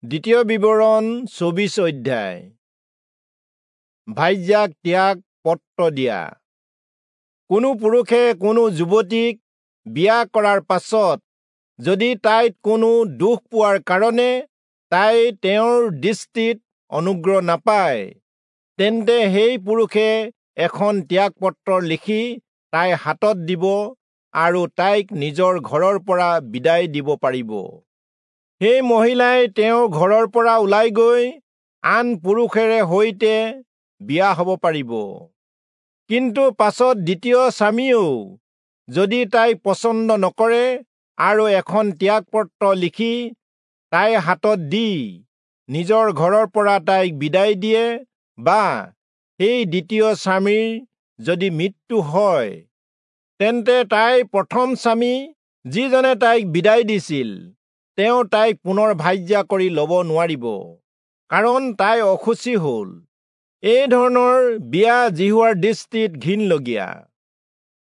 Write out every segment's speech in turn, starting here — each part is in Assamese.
দ্বিতীয় বিৱৰণ 24 অধ্যায়। ভাৰ্যাক ত্যাগ পত্ৰ দিয়া। কোনো পুৰুষে কোনো যুৱতীক বিয়া কৰাৰ পাছত যদি তাইত কোনো দুখ পোৱাৰ কাৰণে তাই তেওঁৰ দৃষ্টিত অনুগ্ৰহ নাপায়, তেন্তে সেই পুৰুষে এখন ত্যাগপত্ৰ লিখি তাইৰ হাতত দিব আৰু তাইক নিজৰ ঘৰৰ পৰা বিদায় দিব পাৰিব। সেই মহিলাই তেওঁৰ ঘৰৰ পৰা ওলাই গৈ আন পুৰুষেৰে সৈতে বিয়া হ'ব পাৰিব। কিন্তু পাছত দ্বিতীয় স্বামীয়েও যদি তাইক পচন্দ নকৰে আৰু এখন ত্যাগপত্ৰ লিখি তাইৰ হাতত দি নিজৰ ঘৰৰ পৰা তাইক বিদায় দিয়ে, বা সেই দ্বিতীয় স্বামীৰ যদি মৃত্যু হয়, তেন্তে তাইৰ প্ৰথম স্বামী যিজনে তাইক বিদায় দিছিল, তেওঁ তাইক পুনৰ ভাৰ্যা কৰি ল'ব নোৱাৰিব, কাৰণ তাই অশুচি হ'ল। এই ধৰণৰ বিয়া যিহোৱাৰ দৃষ্টিত ঘিণলগীয়া।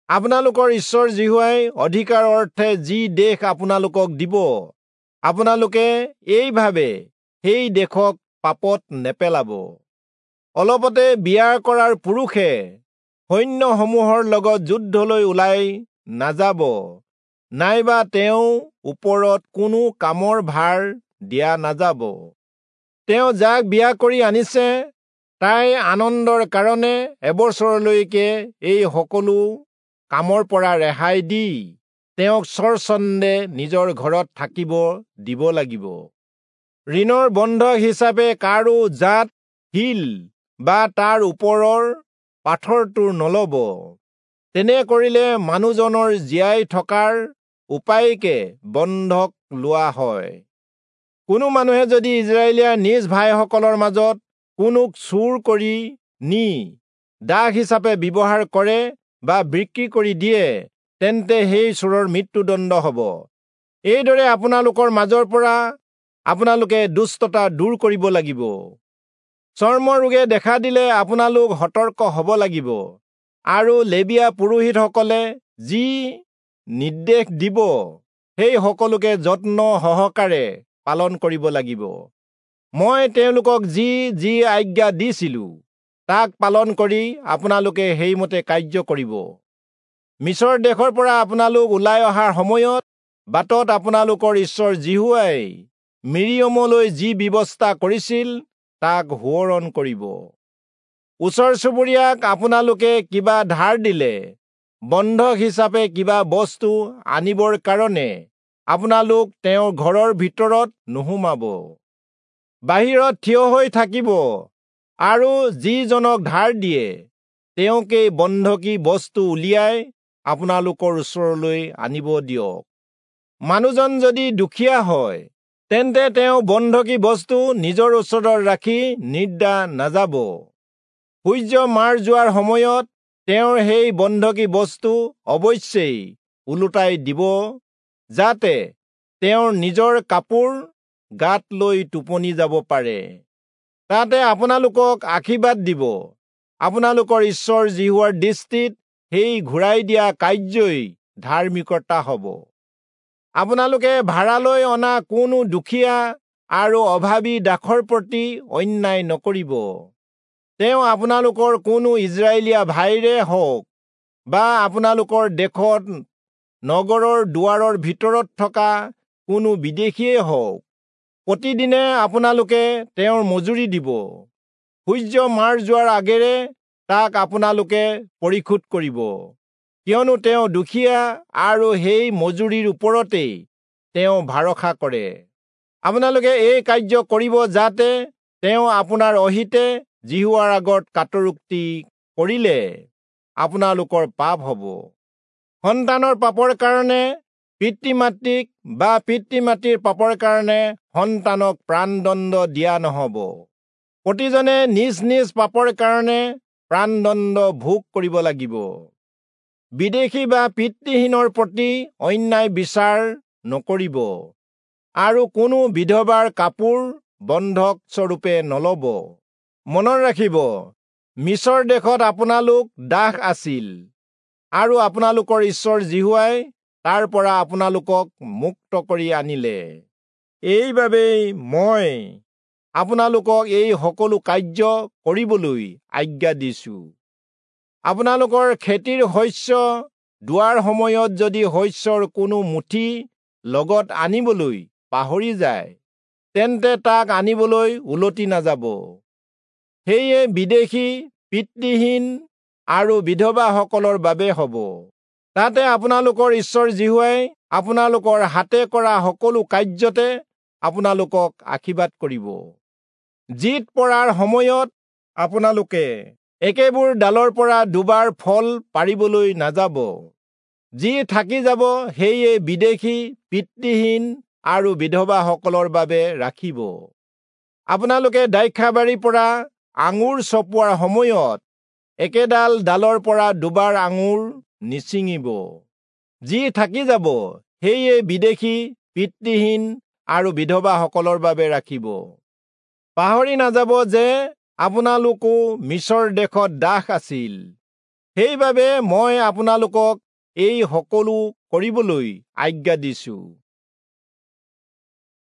আপোনালোকৰ ঈশ্বৰ যিহোৱাই অধিকাৰ অৰ্থে যি দেশ আপোনালোকক দিব, আপোনালোকে এইভাবে সেই দেশক পাপত নেপেলাব। অলপতে বিয়া কৰাৰ পুৰুষে সৈন্যসমূহৰ লগত যুদ্ধলৈ ওলাই নাযাব, নাইবা তেওঁ ওপৰত কোনো কামৰ ভাৰ দিয়া নাযাব। তেওঁ যাক বিয়া কৰি আনিছে, তাই আনন্দৰ কাৰণে এবছৰলৈকে এই সকলো কামৰ পৰা ৰেহাই দি তেওঁক স্বচ্ছন্দে নিজৰ ঘৰত থাকিব দিব লাগিব। ঋণৰ বন্ধক হিচাপে কাৰো জাত শিল বা তাৰ ওপৰৰ পাথৰটো নলব। তেনে কৰিলে মানুহজনৰ জীয়াই থকাৰ উপায়কে বন্ধক লোৱা হয়। কোনো মানুহে যদি ইজৰাইলীয়া নিজ ভাইসকলৰ মাজত কোনোক চুৰ কৰি নি দাস হিচাপে ব্যৱহাৰ কৰে বা বিক্ৰী কৰি দিয়ে, তেন্তে সেই চোৰৰ মৃত্যুদণ্ড হ'ব। এইদৰে আপোনালোকৰ মাজৰ পৰা আপোনালোকে দুষ্টতা দূৰ কৰিব লাগিব। চৰ্মৰোগে দেখা দিলে আপোনালোক সতৰ্ক হ'ব লাগিব আৰু লেবীয়া পুৰোহিতসকলে যি নিৰ্দেশ দিব, সেই সকলোকে যত্ন সহকাৰে পালন কৰিব লাগিব। মই তেওঁলোকক যি যি আজ্ঞা দিছিলো, তাক পালন কৰি আপোনালোকে সেইমতে কাৰ্য কৰিব। মিচৰ দেশৰ পৰা আপোনালোক ওলাই অহাৰ সময়ত বাটত আপোনালোকৰ ঈশ্বৰ যিহোৱাই মিৰিয়মলৈ যি ব্যৱস্থা কৰিছিল, তাক সোঁৱৰণ কৰিব। ওচৰ চুবুৰীয়াক আপোনালোকে কিবা ধাৰ দিলে বন্ধক হিচাপে কিবা বস্তু আনিবৰ কাৰণে আপোনালোক তেওঁৰ ঘৰৰ ভিতৰত নোসোমাব। বাহিৰত থিয় হৈ থাকিব আৰু যিজনক ধাৰ দিয়ে, তেওঁকেই বন্ধকী বস্তু উলিয়াই আপোনালোকৰ ওচৰলৈ আনিব দিয়ক। মানুহজন যদি দুখীয়া হয়, তেন্তে তেওঁ বন্ধকী বস্তু নিজৰ ওচৰত ৰাখি নিদ্ৰা নাযাব। সূৰ্য মাৰ যোৱাৰ সময়ত তেওঁৰ সেই বন্ধকী বস্তু অৱশ্যেই ওলোটাই দিব, যাতে তেওঁৰ নিজৰ কাপোৰ গাত লৈ টোপনি যাব পাৰে। তাতে আপোনালোকক আশীৰ্বাদ দিব। আপোনালোকৰ ঈশ্বৰ যিহোৱাৰ দৃষ্টিত সেই ঘূৰাই দিয়া কাৰ্যই ধাৰ্মিকতা হ'ব। আপোনালোকে ভাড়ালৈ অনা কোনো দুখীয়া আৰু অভাৱী দাসৰ প্ৰতি অন্যায় নকৰিব। তেওঁ আপোনালোকৰ কোনো ইজৰাইলীয়া ভাইৰে হওক বা আপোনালোকৰ দেশত নগৰৰ দুৱাৰৰ ভিতৰত থকা কোনো বিদেশীয়েই হওক, প্ৰতিদিনে আপোনালোকে তেওঁৰ মজুৰি দিব। সূৰ্য মাৰ যোৱাৰ আগেৰে তাক আপোনালোকে পৰিশোধ কৰিব, কিয়নো তেওঁ দুখীয়া আৰু সেই মজুৰিৰ ওপৰতেই তেওঁ ভৰসা কৰে। আপোনালোকে এই কাৰ্য কৰিব যাতে তেওঁ আপোনাৰ অহিতে যিহোৱাৰ আগত কাতৰোক্তি কৰিলে আপোনালোকৰ পাপ হ'ব। সন্তানৰ পাপৰ কাৰণে পিতৃ মাতৃক বা পিতৃ মাতৃৰ পাপৰ কাৰণে সন্তানক প্ৰাণদণ্ড দিয়া নহ'ব। প্ৰতিজনে নিজ নিজ পাপৰ কাৰণে প্ৰাণদণ্ড ভোগ কৰিব লাগিব। বিদেশী বা পিতৃহীনৰ প্ৰতি অন্যায় বিচাৰ নকৰিব আৰু কোনো বিধৱাৰ কাপোৰ বন্ধক স্বৰূপে নলব। মনত ৰাখিব, মিচৰ দেশত আপোনালোক দাস আছিল আৰু আপোনালোকৰ ঈশ্বৰ যিহোৱাই তাৰ পৰা আপোনালোকক মুক্ত কৰি আনিলে। এইবাবেই মই আপোনালোকক এই সকলো কাৰ্য কৰিবলৈ আজ্ঞা দিছো। আপোনালোকৰ খেতিৰ শস্য দোৱাৰ সময়ত যদি শস্যৰ কোনো মুঠি লগত আনিবলৈ পাহৰি যায়, তেন্তে তাক আনিবলৈ উলটি নাযাব। সেয়ে বিদেশী, পিতৃহীন আৰু বিধৱাসকলৰ বাবে হ'ব। তাতে আপোনালোকৰ ঈশ্বৰ যিহোৱাই আপোনালোকৰ হাতে কৰা সকলো কাৰ্যতে আপোনালোকক আশীৰ্বাদ কৰিব। জিত পৰাৰ সময়ত আপোনালোকে একেবোৰ ডালৰ পৰা দুবাৰ ফল পাৰিবলৈ নাযাব। যি থাকি যাব সেয়ে বিদেশী, পিতৃহীন আৰু বিধৱাসকলৰ বাবে ৰাখিব। আপোনালোকে দ্ৰাক্ষাবাৰীৰ পৰা আঙুৰ চপোৱাৰ সময়ত একেডাল ডালৰ পৰা দুবাৰ আঙুৰ নিছিঙিব। যি থাকি যাব সেয়ে বিদেশী, পিতৃহীন আৰু বিধৱাসকলৰ বাবে ৰাখিব। পাহৰি নাযাব যে আপোনালোকো মিচৰ দেশত দাস আছিল। সেইবাবে মই আপোনালোকক এই সকলো কৰিবলৈ আজ্ঞা দিছো।